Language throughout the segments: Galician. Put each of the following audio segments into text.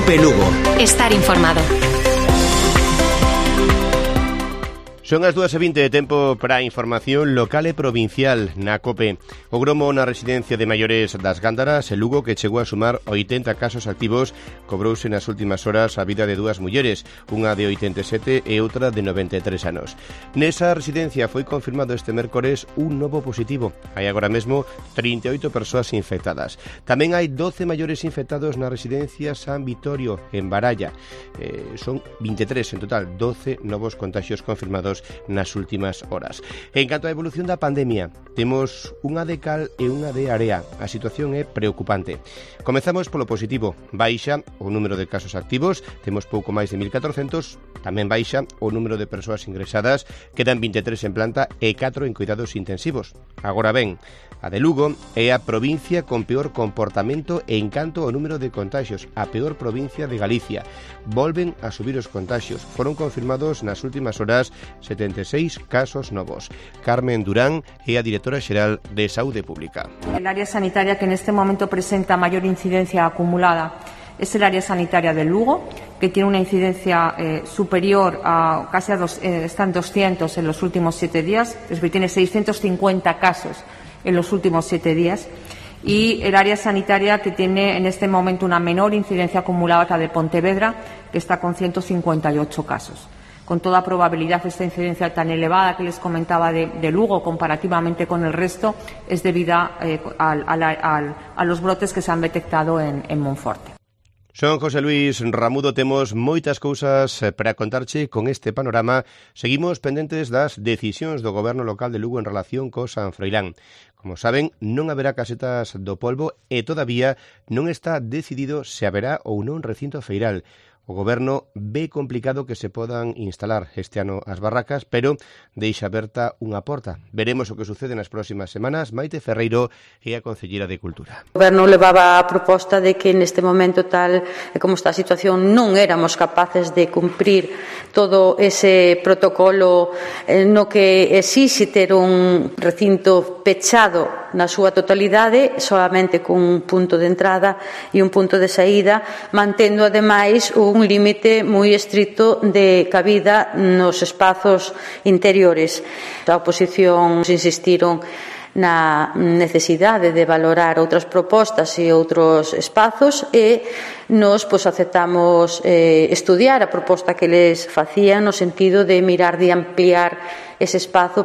COPE Lugo. Estar informado. Son as 2:20 de tempo para a información local e provincial na COPE. O gromo na residencia de maiores das Gándaras, en Lugo, que chegou a sumar 80 casos activos, cobrouse nas últimas horas a vida de dúas mulleres, unha de 87 e outra de 93 anos. Nesa residencia foi confirmado este mércores un novo positivo. Hai agora mesmo 38 persoas infectadas. Tamén hai 12 maiores infectados na residencia San Vitorio, en Baralla. Son 23 en total, 12 novos contagios confirmados nas últimas horas. En canto á evolución da pandemia, temos unha de cal e unha de area. A situación é preocupante. Comezamos polo positivo. Baixa o número de casos activos, temos pouco máis de 1.400, tamén baixa o número de persoas ingresadas, quedan 23 en planta e 4 en cuidados intensivos. Agora ben, a de Lugo é a provincia con peor comportamento en canto ao número de contagios, a peor provincia de Galicia. Volven a subir os contagios. Foron confirmados nas últimas horas 76 casos novos. Carmen Durán é a directora xeral de Saúde Pública. El área sanitaria que en este momento presenta mayor incidencia acumulada es el área sanitaria de Lugo, que tiene una incidencia superior a casi están 200 en los últimos 7 días, es decir, tiene 650 casos en los últimos 7 días. Y el área sanitaria que tiene en este momento una menor incidencia acumulada que la de Pontevedra, que está con 158 casos. Con toda probabilidad, esta incidencia tan elevada que les comentaba de Lugo comparativamente con el resto es debida a los brotes que se han detectado en Monforte. Son José Luis Ramudo, temos moitas cousas para contarche con este panorama. Seguimos pendentes das decisións do Goberno local de Lugo en relación co San Froilán. Como saben, non haberá casetas do polvo e todavía non está decidido se haberá ou non recinto feiral. O Goberno ve complicado que se podan instalar este ano as barracas, pero deixa aberta unha porta. Veremos o que sucede nas próximas semanas. Maite Ferreiro é a concelleira de Cultura. O Goberno levaba a proposta de que neste momento tal como está a situación non éramos capaces de cumprir todo ese protocolo no que exixe ter un recinto pechado na súa totalidade, solamente con un punto de entrada e un punto de saída, mantendo ademais un límite moi estricto de cabida nos espazos interiores. A oposición insistiron na necesidade de valorar outras propostas e outros espazos e nos aceptamos estudiar a proposta que les facían no sentido de mirar de ampliar ese espazo.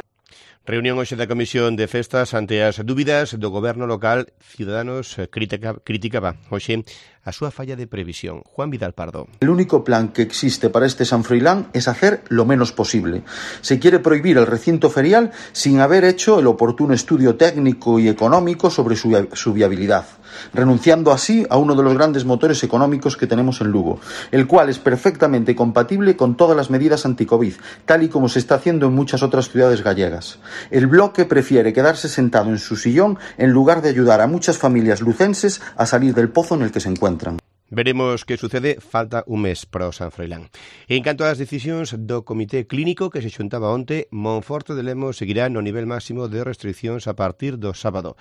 Reunión hoxe da Comisión de Festas ante as dúbidas do Goberno local. Ciudadanos criticaba hoxe a súa falla de previsión. Juan Vidal Pardo. El único plan que existe para este San Froilán es hacer lo menos posible. Se quiere prohibir el recinto ferial sin haber hecho el oportuno estudio técnico y económico sobre su viabilidad, renunciando así a uno de los grandes motores económicos que tenemos en Lugo, el cual es perfectamente compatible con todas las medidas anti-COVID, tal y como se está haciendo en muchas otras ciudades gallegas. El bloque prefiere quedarse sentado en su sillón en lugar de ayudar a muchas familias lucenses a salir del pozo en el que se encuentran. Veremos que sucede, falta un mes para o San Froilán. En canto ás decisións do Comité Clínico que se xuntaba onte, Monforte de Lemos seguirá no nivel máximo de restriccións a partir do sábado.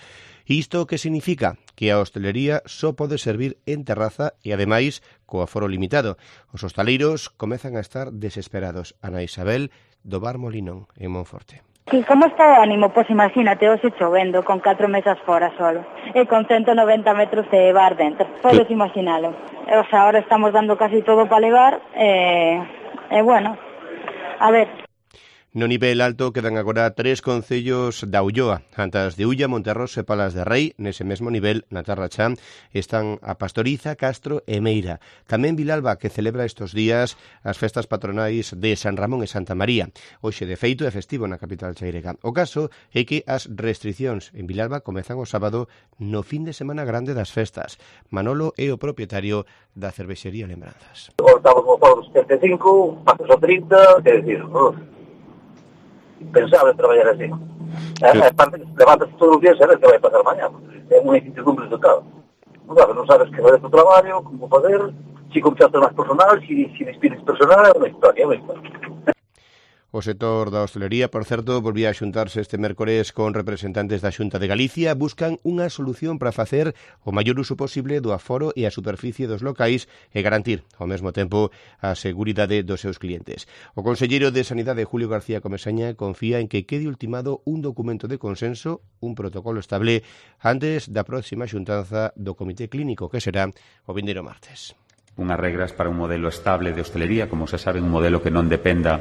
Isto que significa? Que a hostelería só pode servir en terraza e, ademais, co aforo limitado. Os hostaleiros comezan a estar desesperados. Ana Isabel, do Bar Molinón, en Monforte. Sí, como está o ánimo? Pois imagínate, hoxe chovendo, con 4 mesas fora solo, e con 190 metros de bar dentro. Podes imaginalo. O sea, ahora estamos dando casi todo para levar, bueno, a ver. No nivel alto quedan agora 3 concellos da Ulloa. Antas de Ulla, Monterros e Palas de Rei. Nese mesmo nivel, na Terra Chá, están a Pastoriza, Castro e Meira. Tamén Vilalba, que celebra estes días as festas patronais de San Ramón e Santa María. Hoxe, de feito, é festivo na capital chairega. O caso é que as restriccións en Vilalba comezan o sábado no fin de semana grande das festas. Manolo é o propietario da cervexería Lembranzas. Estamos como os 35, pasas o 30, quer decir, pensaba en traballar así. Aparte, levantas todos os días e sabes que vai pasar mañá. É unha incertidumbre total. Non sabes que vai do traballo, como fazer, si contratas máis personal, si despides personal, é unha historia. O sector da hostelería, por certo, volvía a xuntarse este mércores con representantes da Xunta de Galicia. Buscan unha solución para facer o maior uso posible do aforo e a superficie dos locais e garantir, ao mesmo tempo, a seguridade dos seus clientes. O conselleiro de Sanidade, Julio García Comesaña, confía en que quede ultimado un documento de consenso, un protocolo estable, antes da próxima xuntanza do Comité Clínico, que será o vindeiro martes. Unhas regras para un modelo estable de hostelería, como se sabe, un modelo que non dependa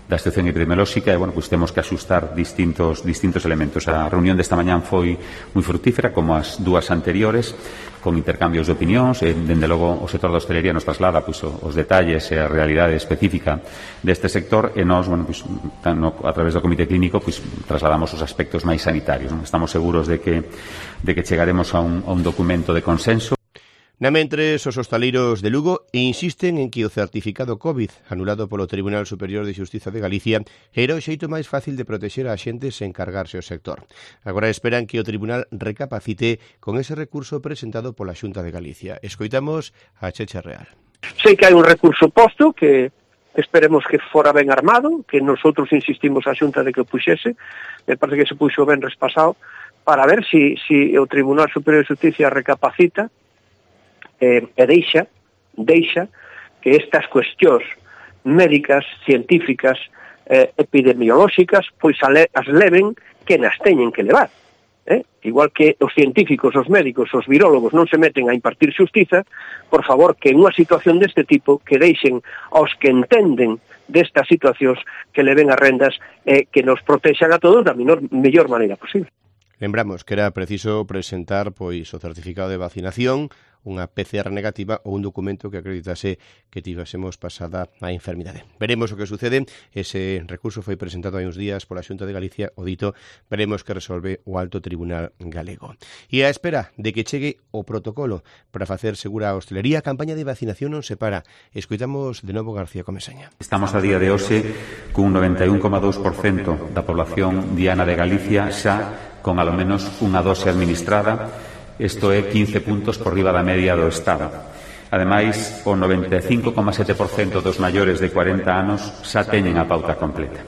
da situación epidemiolóxica e, pois temos que asustar distintos elementos. A reunión desta mañán foi moi frutífera, como as dúas anteriores, con intercambios de opinións, e, dende logo, o sector da hostelería nos traslada os detalles e a realidade específica deste sector, e nós, a través do Comité Clínico, trasladamos os aspectos máis sanitarios. Estamos seguros de que chegaremos a un documento de consenso. Na mentres, os hostaleiros de Lugo insisten en que o certificado COVID anulado polo Tribunal Superior de Xustiza de Galicia era o xeito máis fácil de protexer a xente sen cargarse o sector. Agora esperan que o Tribunal recapacite con ese recurso presentado pola Xunta de Galicia. Escoitamos a Checha Real. Sei que hai un recurso posto que esperemos que fora ben armado, que nosotros insistimos a Xunta de que o puxese, me parece que se puxo ben respasado, para ver si o Tribunal Superior de Xustiza recapacita e deixa que estas cuestións médicas, científicas, epidemiolóxicas, pois as leven que nas teñen que levar. Igual que os científicos, os médicos, os virólogos non se meten a impartir xustiza, por favor, que en unha situación deste tipo que deixen aos que entenden destas situacións que leven as rendas que nos protexan a todos da mellor maneira posible. Lembramos que era preciso presentar o certificado de vacinación, unha PCR negativa ou un documento que acreditase que tivésemos pasada a enfermidade. Veremos o que sucede. Ese recurso foi presentado hai uns días pola Xunta de Galicia, o dito, veremos que resolve o Alto Tribunal Galego. E á espera de que chegue o protocolo para facer segura a hostelería, a campaña de vacinación non se para. Escoitamos de novo García Comesaña. Estamos a día de hoxe cun 91,2% da población diana de Galicia xa con alo menos unha dose administrada. Isto é 15 puntos por riba da media do Estado. Ademais, o 95,7% dos maiores de 40 anos xa teñen a pauta completa.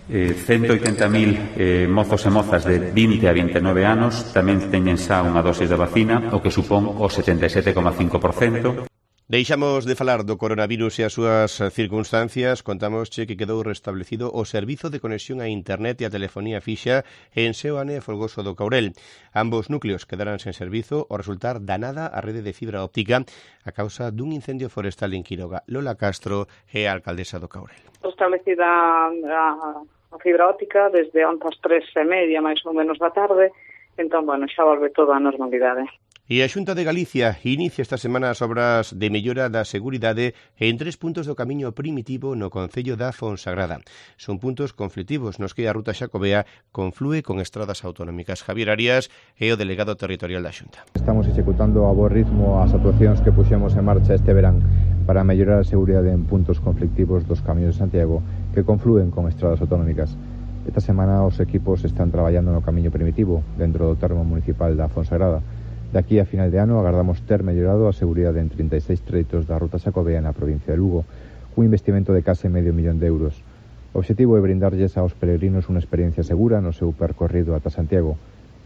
180.000 mozos e mozas de 20 a 29 anos tamén teñen xa unha dosis de vacina, o que supón o 77,5%. Deixamos de falar do coronavirus e as súas circunstancias. Contámosche que quedou restablecido o servizo de conexión a internet e a telefonía fixa en Seoane e Folgoso do Caurel. Ambos núcleos quedarán sen servizo ao resultar danada a rede de fibra óptica a causa dun incendio forestal en Quiroga. Lola Castro é a alcaldesa do Caurel. Restablecida a fibra óptica desde onte ás 3:30 máis ou menos da tarde, entón, xa volve toda a normalidade. E a Xunta de Galicia inicia esta semana as obras de mellora da seguridade en 3 puntos do camiño primitivo no concello da Fonsagrada. Son puntos conflitivos nos que a ruta xacobea conflúe con estradas autonómicas. Javier Arias é o delegado territorial da Xunta. Estamos executando a bo ritmo as actuacións que puxemos en marcha este verán para mellorar a seguridade en puntos conflictivos dos camiños de Santiago que conflúen con estradas autonómicas. Esta semana os equipos están traballando no camiño primitivo dentro do termo municipal da Fonsagrada. De aquí a final de ano agardamos ter mellorado a seguridade en 36 treitos da ruta xacobea na provincia de Lugo, cun investimento de case medio millón de euros. O obxectivo é brindarlles aos peregrinos unha experiencia segura no seu percorrido ata Santiago.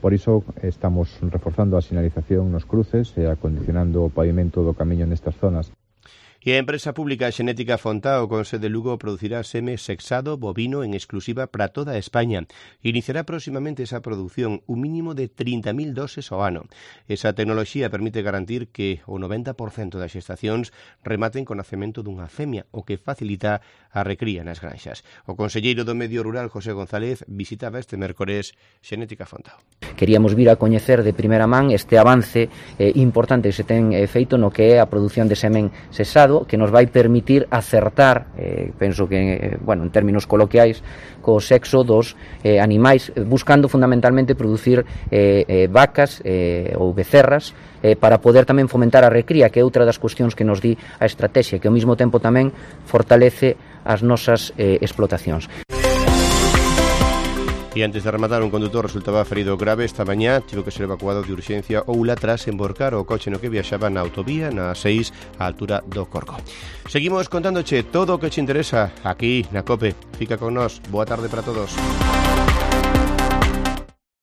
Por iso estamos reforzando a sinalización nos cruces e acondicionando o pavimento do camiño nestas zonas. E a empresa pública Xenética Fontao, con sede Lugo, producirá seme sexado bovino en exclusiva para toda España. Iniciará próximamente esa produción, un mínimo de 30.000 doses ao ano. Esa tecnoloxía permite garantir que o 90% das xestacións rematen con nacemento dunha femia, o que facilita a recría nas granxas. O conselleiro do Medio Rural, José González, visitaba este mércores Xenética Fontao. Queríamos vir a coñecer de primeira man este avance importante que se ten feito no que é a produción de semen sexado, que nos vai permitir acertar, penso que, en términos coloquiais, co sexo dos animais, buscando fundamentalmente producir vacas ou becerras para poder tamén fomentar a recría, que é outra das cuestións que nos di a estrategia, que ao mesmo tempo tamén fortalece as nosas explotacións. E antes de rematar, un condutor resultaba ferido grave esta mañá, tivo que ser evacuado de urxencia Oula tras emborcar o coche no que viaxaba na autovía na 6 á altura do Corco. Seguimos contándoche todo o que te interesa aquí na COPE. Fica con nós. Boa tarde para todos.